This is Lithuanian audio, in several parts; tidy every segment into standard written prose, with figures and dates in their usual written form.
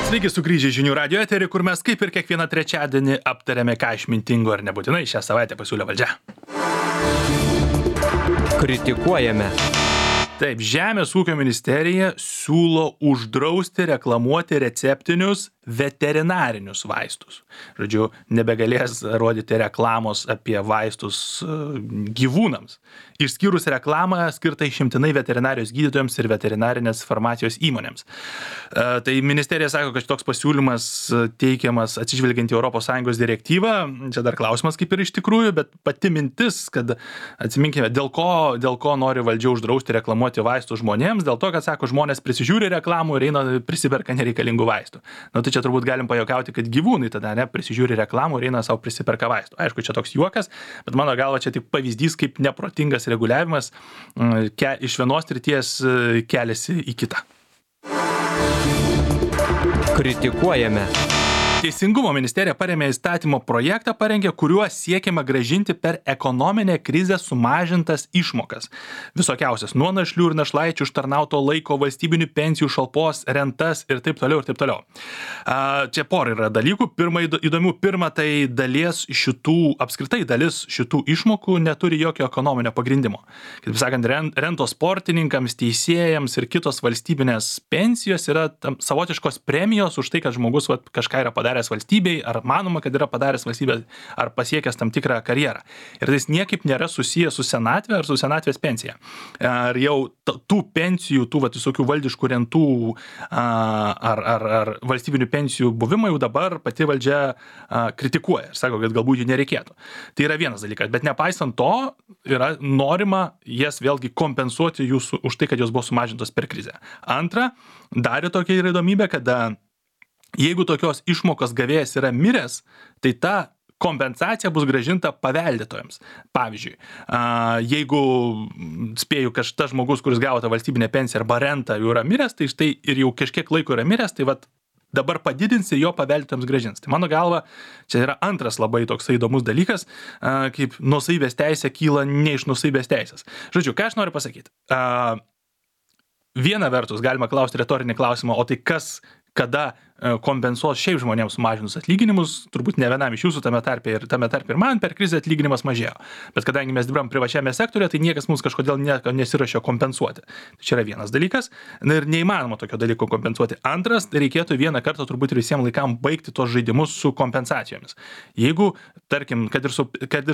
Sveiki sugrįžę žinių radio eterį, kur mes kaip ir kiekvieną trečiadienį aptarėme, ką išmintingo ar nebūtinai šią savaitę pasiūlė valdžia. Kritikuojame. Taip, Žemės ūkio ministerija siūlo uždrausti reklamuoti receptinius veterinarinius vaistus. Žodžiu, nebegalės rodyti reklamos apie vaistus gyvūnams, išskyrus reklamą skirtą išimtinai veterinarijos gydytojams ir veterinarinės farmacijos įmonėms. Tai ministerija sako, kad toks pasiūlymas teikiamas atsižvelgiant į ES direktyvą. Čia dar klausimas kaip ir iš tikrųjų, bet pati mintis, kad atsiminkime, dėl ko nori valdžia uždrausti reklamuoti vaistus žmonėms, dėl to, kad sako, žmonės prisižiūri reklamų ir eina prisiperka nereikalingų vaistų. Tai čia turbūt galim pajuokauti, kad gyvūnai tada prisižiūri reklamų ir eina savo prisiperka vaistų. Aišku, čia toks juokas, bet mano galva čia tik pavyzdys, kaip neprotingas reguliavimas iš vienos srities keliasi į kitą. Kritikuojame. Teisingumo ministerija parėmė įstatymo projektą, kuriuo siekiama grąžinti per ekonominę krizę sumažintas išmokas. Visokiausias nuo našlių ir našlaičių užtarnauto laiko, valstybinių pensijų, šalpos, rentas ir taip toliau ir taip toliau. Čia pora yra dalykų. Pirma, tai apskritai dalis šitų išmokų neturi jokio ekonominio pagrindimo. Kaip sakant, rentos sportininkams, teisėjams ir kitos valstybinės pensijos yra savotiškos premijos už tai, kad žmogus kažką yra padaręs valstybei, ar manoma, kad yra padaręs valstybė, ar pasiekęs tam tikrą karjerą. Ir tai niekaip nėra susijęs su senatvė ar su senatvės pensija. Ar jau tų pensijų, tų visokių valdiškų rentų ar valstybinių pensijų buvimą jau dabar pati valdžia kritikuoja ir sako, kad galbūt jų nereikėtų. Tai yra vienas dalykas, bet nepaisant to yra norima jas vėlgi kompensuoti už tai, kad jos buvo sumažintos per krizę. Antra, dar tokia yra įdomybė, kad jeigu tokios išmokos gavėjas yra miręs, tai ta kompensacija bus grąžinta paveldėtojams. Pavyzdžiui, jeigu spėju, kad tas žmogus, kuris gavo tą valstybinę pensiją arba rentą jau yra miręs, tai štai ir jau kažkiek laiko yra miręs, tai dabar padidins ir jo paveldėtojams grąžins. Tai mano galva, čia yra antras labai toks įdomus dalykas, kaip nuosavybės teisė kyla ne iš nuosavybės teisės. Žodžiu, ką aš noriu pasakyti? Viena vertus galima klausti retorinį klausimą, o tai kada kompensuos šiaip žmonėms sumažinus atlyginimus, turbūt ne vienam iš jūsų tame tarpe ir man per krizę atlyginimas mažėjo. Bet kadangi mes dirbam privačiame sektoriuje, tai niekas mums kažkodėl nesirašė kompensuoti. Tai čia yra vienas dalykas ir neįmanoma tokio dalyko kompensuoti. Antras, tai reikėtų vieną kartą turbūt ir visiems laikam baigti tos žaidimus su kompensacijomis. Jeigu, tarkim, kad ir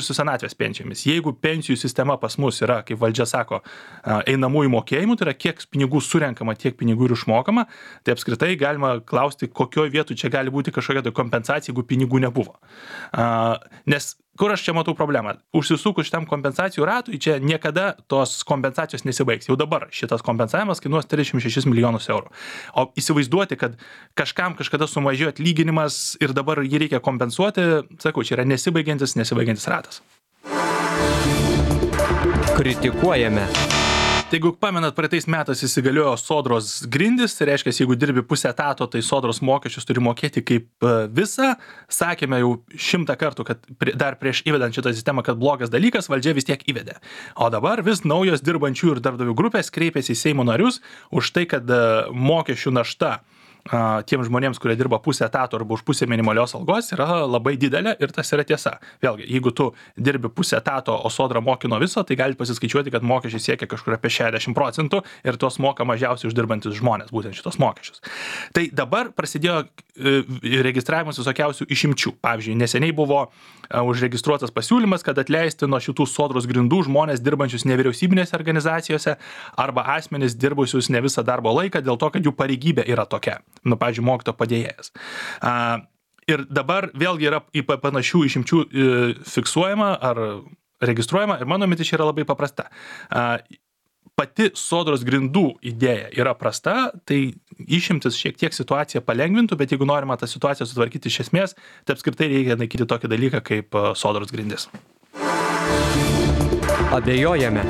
su senatvės pensijomis, jeigu pensijų sistema pas mus yra, kaip valdžia sako, einamųjų mokėjimų, tai yra kiek pinigų surenkama, tiek pinigų ir išmokama, tai apskritai galima klausti, kokioje vietoje čia gali būti kažkokia kompensacija, jeigu pinigų nebuvo. Nes kur aš čia matau problemą? Užsisukus šitam kompensacijų ratui, čia niekada tos kompensacijos nesibaigs. Jau dabar šitas kompensavimas kainuos 36 milijonus eurų. O įsivaizduoti, kad kažkam kažkada sumažėjo atlyginimas ir dabar jį reikia kompensuoti, sakau, čia yra nesibaigiantis ratas. Kritikuojame. Tai jeigu pamenat, praeitais metais įsigaliojo sodros grindis, tai reiškia, jeigu dirbi pusę etato, tai sodros mokesčius turi mokėti kaip visą. Sakėme jau 100 kartų, kad dar prieš įvedant šitą sistemą, kad blogas dalykas, valdžia vis tiek įvedė. O dabar vis naujos dirbančių ir darbdavių grupės kreipiasi į Seimo narius už tai, kad mokesčių našta tiems žmonėms, kurie dirba pusę etato arba už pusę minimalios algos, yra labai didelė ir tas yra tiesa. Vėlgi, jeigu tu dirbi pusę etato, o sodra moki nuo viso, tai gali pasiskaičiuoti, kad mokesčiai siekia kažkur apie 60% ir tos moka mažiausiai uždirbantis žmonės, būtent šitos mokesčius. Tai dabar prasidėjo registravimas visokiausių išimčių. Pavyzdžiui, neseniai buvo užregistruotas pasiūlymas, kad atleisti nuo šitų sodros grindų žmonės dirbančius nevyriausybinėse organizacijose arba asmenys dirbusius ne visą darbo laiką dėl to, kad jų pareigybė yra tokia. Pavyzdžiui, mokytojo padėjėjas. Ir dabar vėlgi yra į panašių išimčių fiksuojama ar registruojama ir mano mintis yra labai paprasta. Pati sodros grindų idėja yra prasta, tai išimtis šiek tiek situaciją palengvintų, bet jeigu norima tą situaciją sutvarkyti iš esmės, tai apskritai reikia naikinti tokį dalyką kaip sodros grindis. Abejojame.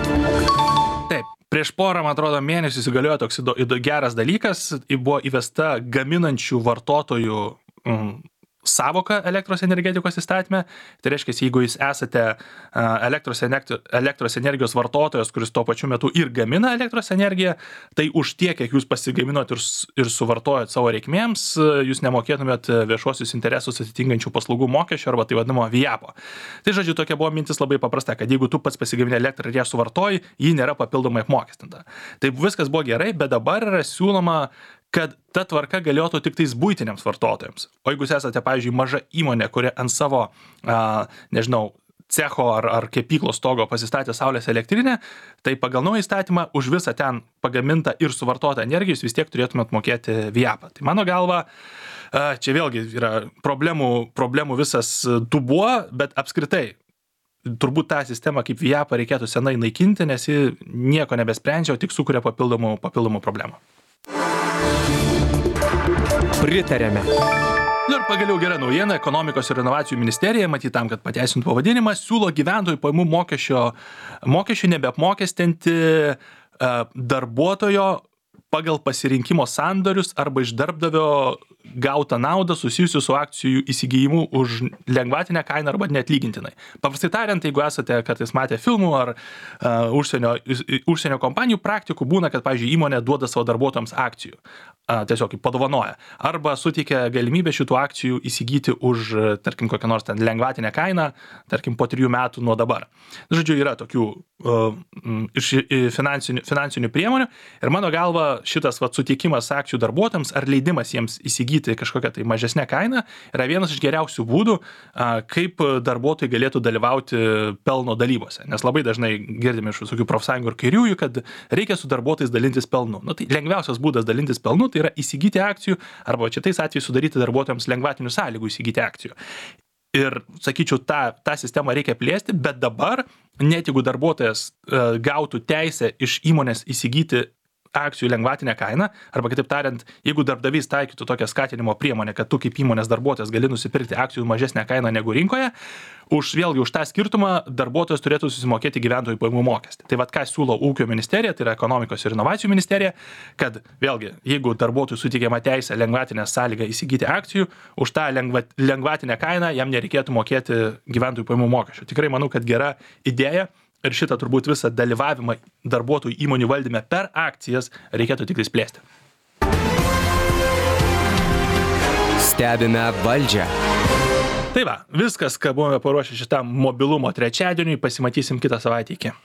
Taip. Prieš porą, man atrodo, mėnesių įsigaliojo toks geras dalykas, buvo įvesta gaminančių vartotojų savoką elektros energetikos įstatyme. Tai reiškia, jeigu jūs esate elektros energijos vartotojas, kuris tuo pačiu metu ir gamina elektros energiją, tai už tiek, kiek jūs pasigaminot ir suvartojat savo reikmėms, jūs nemokėtumėt viešuosius interesus atitinkančių paslaugų mokesčio arba tai vadinamo VIAPO. Tai žodžiu, tokia buvo mintis labai paprasta, kad jeigu tu pats pasigamini elektrą ir ją suvartoji, ji nėra papildomai apmokestinta. Tai viskas buvo gerai, bet dabar yra siūloma, kad ta tvarka galiotų tik tais buitiniams vartotojams. O jeigu jūs esate, pavyzdžiui, maža įmonė, kuri ant savo, cecho ar kepyklos stogo pasistatė saulės elektrinę, tai pagal naują įstatymą už visą ten pagamintą ir suvartotą energiją jūs vis tiek turėtumėt mokėti VIAPą. Tai mano galva, čia vėlgi yra problemų visas dubuo, bet apskritai turbūt tą sistemą kaip VIAPą reikėtų senai naikinti, nes ji nieko nebesprendžia, o tik sukuria papildomų problemų. Pritarėme. Ir pagaliau gera naujiena, ekonomikos ir inovacijų ministerija, matyt tam, kad pateisintų pavadinimą, siūlo gyventojų pajamų mokesčių nebeapmokestinti darbuotojo pagal pasirinkimo sandorius arba iš darbdavio gautą naudą susijusių su akcijų įsigijimu už lengvatinę kainą arba neatlygintinai. Paprastai tariant, jeigu esate kartais matę filmų ar užsienio kompanijų praktikų, būna, kad, pavyzdžiui, įmonė duoda savo darbuotojams akcijų, tiesiog padovanoja, arba suteikia galimybę šitų akcijų įsigyti už, tarkim, kokią nors ten lengvatinę kainą, tarkim, po 3 metų nuo dabar. Žodžiu, yra tokių iš finansinių priemonių ir mano galva šitas suteikimas akcijų darbuotojams ar leidimas jiems įsigyti kažkokią tai mažesnę kainą yra vienas iš geriausių būdų, kaip darbuotojai galėtų dalyvauti pelno dalybose. Nes labai dažnai girdime iš visokių profsąjungų ir kairiųjų, kad reikia su darbuotojais dalintis pelnu. Tai lengviausias būdas dalintis pelnu tai yra įsigyti akcijų arba šitais atvejais sudaryti darbuotojams lengvatinių sąlygų įsigyti akcijų. Ir, sakyčiau, tą sistemą reikia plėsti, bet dabar, net jeigu darbuotojas gautų teisę iš įmonės įsigyti akcijų lengvatinę kainą, arba kitaip tariant, jeigu darbdavys taikytų tokią skatinimo priemonę, kad tu kaip įmonės darbuotojas gali nusipirkti akcijų mažesnę kainą negu rinkoje, vėlgi už tą skirtumą darbuotojas turėtų susimokėti gyventojų pajamų mokestį. Tai ką siūlo ūkio ministerija, tai yra ekonomikos ir inovacijų ministerija, kad vėlgi, jeigu darbuotojui suteikiama teisė lengvatinę sąlygą įsigyti akcijų, už tą lengvatinę kainą jam nereikėtų mokėti gyventojų pajamų mokesčio. Tikrai manau, kad gera idėja. Ir šitą turbūt visą dalyvavimą darbuotojų įmonių valdyme per akcijas reikėtų tik plėsti. Stebime valdžią. Tai va, viskas, ką buvome paruošę šitam mobilumo trečiadieniui, pasimatysim kitą savaitę. Iki.